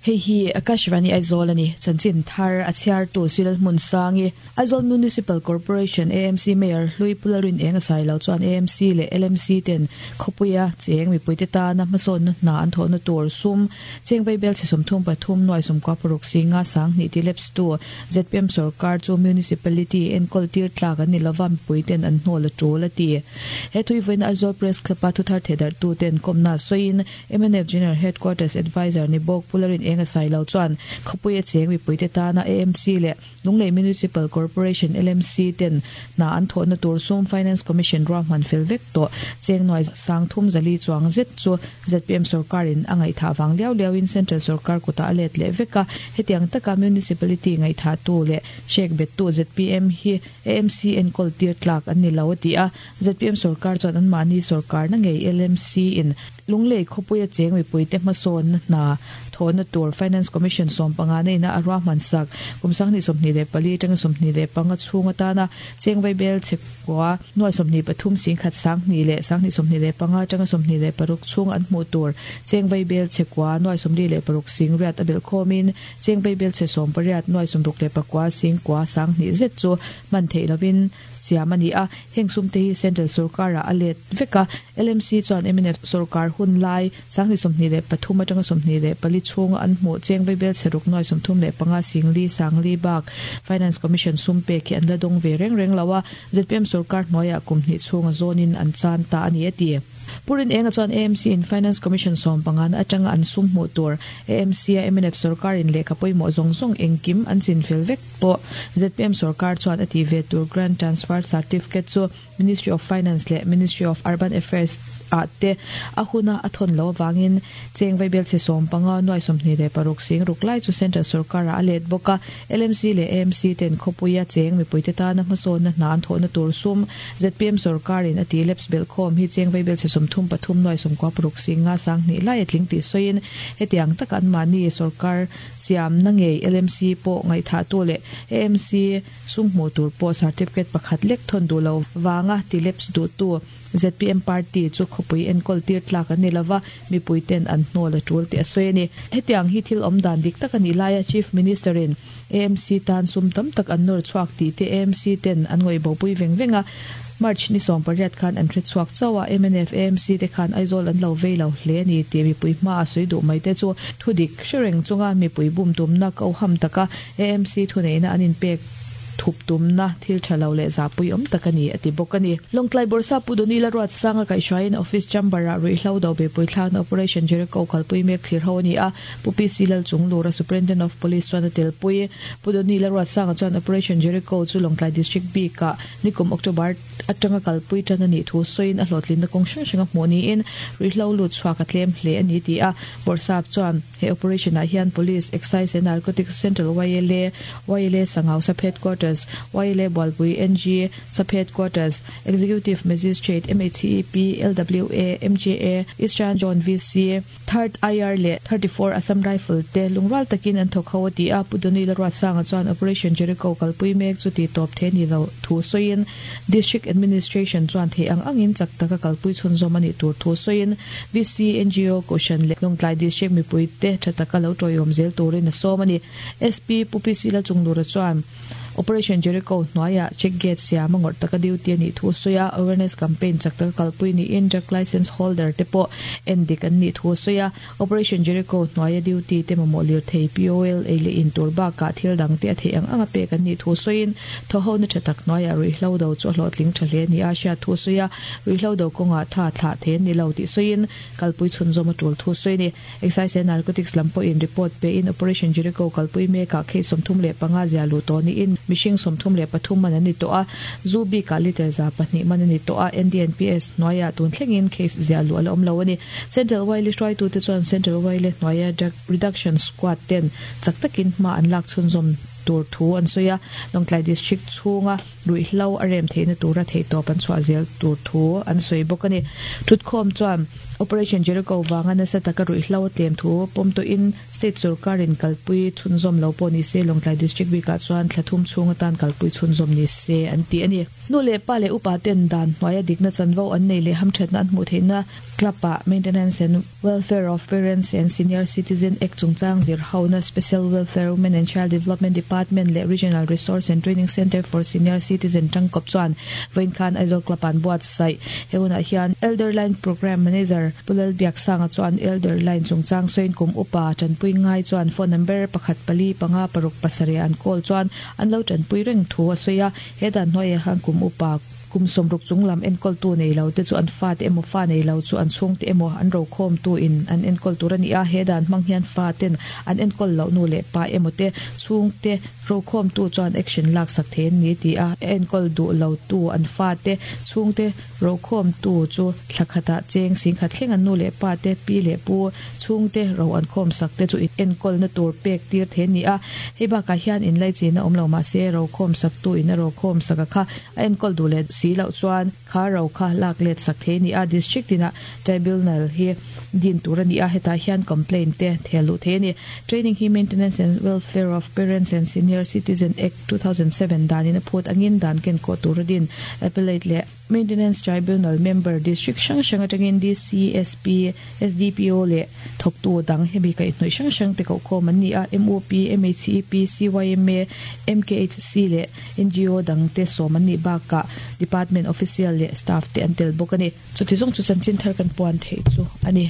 Hei hi Akashvani Aizawl a ni. Chanchin thar a chhiartu Silal Hmunsangi, Aizawl Municipal Corporation, AMC, Mayor Hlui Pularin eng a sai lo chuan AMC leh LMC ten khawpuia cheng mipuite tana hmasawnna hna an thawhna tur sum cheng vaibel chhe 33 nuai 96 singa 2000 ti lapse tu zpm sorkar chu Municipality enkawl tir tlak an ni lova mipuiten an hnawl a tul a ti. He thuivawiina Aizawl Press Club-a thuthar thehdarhtu ten kawmna sawiin Mnf General Headquarters Adviser ni bawk Pu Larin Enga Sailo chuan khawpui a cheng mipuite tana AMC leh Lunglei Municipal Corporation, LMC, ten hna an thawhna tur sum Finance Commission ruahman fel vek tawh cheng nuai sang thum zali chuang zet chu zpm sorkarin a ngaihthah vang liau liauin Central sorkar kutah a let leh vek a, hetiang taka Municipality ngaihthahtu leh hrek bettu zpm hi AMC enkawl tir tlak an ni lo a ti a, zpm sorkar chuan anmahni sorkarna ngei LMC in Lunglei khawpuia cheng mipuite hmasawnna hna thawhna tur Finance Commission 15 neihna a ruahman sak. Kum 2024 atanga 25 chhung atana cheng vaibel chhekua nuai 23 singkhat 2000 leh 2025 atanga 26 chhung an hmuh tur cheng vaibel chhekua nuai 46 sing riat a belh khawmin cheng vaibel chhe 18 nuai 69 singkua 2000 zet chu hman theih lovin siam a ni a, heng sumte hi Central sorkarah a let vek a, LMC chuan mnf sorkar hun lai 2023 atanga 24 chhunga an hmuh cheng vaibel chheruk nuai 35 singli sangli bak Finance Commission sum pek hi an la dawng ve reng reng lo a, zpm sorkar hnuaiah kum hnih chhunga zawnin an chan ta a ni a ti. Pu Rinenga chuan AMC in Finance Commission 15 atanga an sum hmuh tur AMC a mnf sorkarin lehkha pawimawh zawng zawng engkim an chinfel vek tawh. Zpm sorkar chuan a tih ve tur Grant Transfer Certificate chu Ministry of Finance leh Ministry of Urban Affairs ah te a huna a thawn loh avangin cheng vaibelchhe 15 nuai 26 sing ruk lai chu Central sorkarah a let bawk a. LMC leh AMC ten khawpuia cheng mipuite tana hmasawnna hna an thawhna tur sum zpm sorkarin a tih lapse belhkhawm hi cheng vaibelchhe 33 nuai 96 sing nga 2000 lai a tling tih sawiin hetiang taka anmahni sorkar Siamna ngei LMC pawh ngaihthahtu leh AMC sum hmuh tur pawh certificate pakhat lek thawn duh lo vanga ti lapse duhtu zpm party chu khawpui enkawl tir tlak an ni lova, mipui ten an hnawl a tul tih a sawi a ni. Hetiang hi thil awm dan dik tak a nih laia Chief Minister in AMC tan sum tam tak an nawr chhuak tih te AMC ten an ngawih bopui veng veng a, March ni 18 khan an hre chhuak chauh a, mnf AMC te khan Aizawl an lo vei lo hle a ni tih mipui hma a sawi duh mai te chu thudik hre reng chunga mipui bum tumna ko ham taka AMC thuneihna an inpek thup tumna thil tha lo leh zahpui awm tak a ni a ti bawk a ni. Lawngtlai Bawrhsa Pu Donila Ruatsanga kaihhruaiin Office Chamber-ah ruihhlo do beipui thlakna Operation Jericho kalpui mek thlir ho a ni a, Pu PC Lalchunglura Superintendent of Police chuan a telpui. Pu Donila Ruatsanga chuan Operation Jericho chu Lawngtlai District bikah Nikum October atanga kalpui tan a nih thu sawiin a hlawhtlinna kawng hrang hrang a hmuh niin ruihhlo lut chhuak a tlem hle a ni ti a. Bawrhsap chuan he operation ah hian Police, Excise and Narcotics Central YLA, YLA Sangau Sub Headquarters, YLA Bualpui NG Sub Headquarters, Executive Magistrate, MHEP, LWA, MJA, Eastern Zone VC, Third IR leh 34 Assam Rifle te lungrual takin an thawk ho a ti a, Pu Donila Ruatsanga chuan Operation Jericho kalpui mek chu tih tawp thei a ni lo thu sawiin District Administration chuan theih ang angin chak taka kalpui chhunzawm a nih tur thu sawiin VC, ngo, Kohhran leh Lawngtlai District mipuite tha taka lo tawiawm zel turin a sawm a ni. SP Pu PC Lalchunglura chuan Operation Jericho hnuaiah check gate siam a ngawrh taka duty a nih thu a sawi a, awareness campaign chak taka kalpui niin drug licence holder te pawh en dik an nih thu a sawi a. Operation Jericho hnuaia duty te mamawh lirthei, POL, ei leh in tur bakah thil dang te a theih ang anga pek an nih thu sawiin thawhhona tha tak hnuaiah ruihhlo do chu a hlawhtling tha hle nia hriat thu a sawi a, ruihhlo do kawngah tha thlah thei an ni lo tih sawiin kalpui chhunzawm a tul thu a sawi a ni. Excise and Narcotics lam pawhin report pein Operation Jericho kalpui mekah case 35 zia luh tawh niin mihring 33 man an ni tawh a, zu bikah litre 200 man a ni tawh a, NDNPS hnuaiah tun thlengin case zia luh a la awm lo a ni. Central Wile hruaitute chuan Central Wile hnuaia Drug Reduction Squad ten chak takin hma an lak chhunzawm tur thu an sawi a, Lawngtlai District chhunga ruihhlo a rem theihna tura theihtawp an chhuah zel tur thu an sawi bawk a ni. Thutkhawm chuan. Operation Jericho vanga nasa taka ruihhlo a tlem thu pawm tawhin state sorkarin kalpui chhunzawm lo pawh ni se Lawngtlai District bikah chuan thla thum chhung atan kalpui chhunzawm ni se an ti a ni. Nu leh pa leh upa ten dan hnuaia dikna chanvo an nei leh hamthatna an hmuh theihna club ah Maintenance and Welfare of Parents and Senior Citizen Act chungchang zir hona Special Welfare Women and Child Development Department leh Regional Resource and Training Centre for Senior Citizen tangkawp chuan vawiin khan Aizawl Club ah an buatsaih. He hunah hian Elder Line Programme Manager Pu Lalbiaksanga chuan Elder Line chungchang sawiin kum upa tanpui ngai chuan phone number pakhat pali panga paruk pasarih an call chuan an lo tanpui reng thu a sawi a. He dan hnuaiah hian kum upa Kum sawmruk chung lam enkawltu nei lo te chu an fate emaw fa nei lo chu an chhungte emaw an rokhawmtu in an enkawl tur a ni a, he dan hmang hian fa ten an enkawl loh nu leh pa emaw te chhungte rokhawmtu chuan action lak sak thei an ni ti a, a enkawl duh lo tu an fate chhungte rokhawmtu chu thla khatah cheng singkhat thleng an nu leh pa te pi leh pu chhungte ro an khawm sak te chu enkawlna tur pek tir thei an ni a, hei bakah hian inlaichin a awm lo mahse rokhawm saktu in a rokhawm sak a kha A enkawl duh leh si loh chuan kha ro kha lak let sak thei a ni a, District tinah Tribunal hi din tur a ni a, hetah hian complaint te thel luh thei a ni. Training hi Maintenance and Welfare of Parents and Senior Citizen Act 2007 danin a phut angin dan ken kawh tur a din. Appellate leh Maintenance Tribunal member District hrang hrang atangin DCSP, SDPO leh thawktu dang hemi kaihhnawih hrang hrang te kohkhawm an ni a, MUP, MHEP, CYMA, MKHC leh NGO dang te sawm an nih bakah Department Official leh Staff te an tel bawk a ni. Chuti zawng chu chanchin thar kan puan theih chu a ni.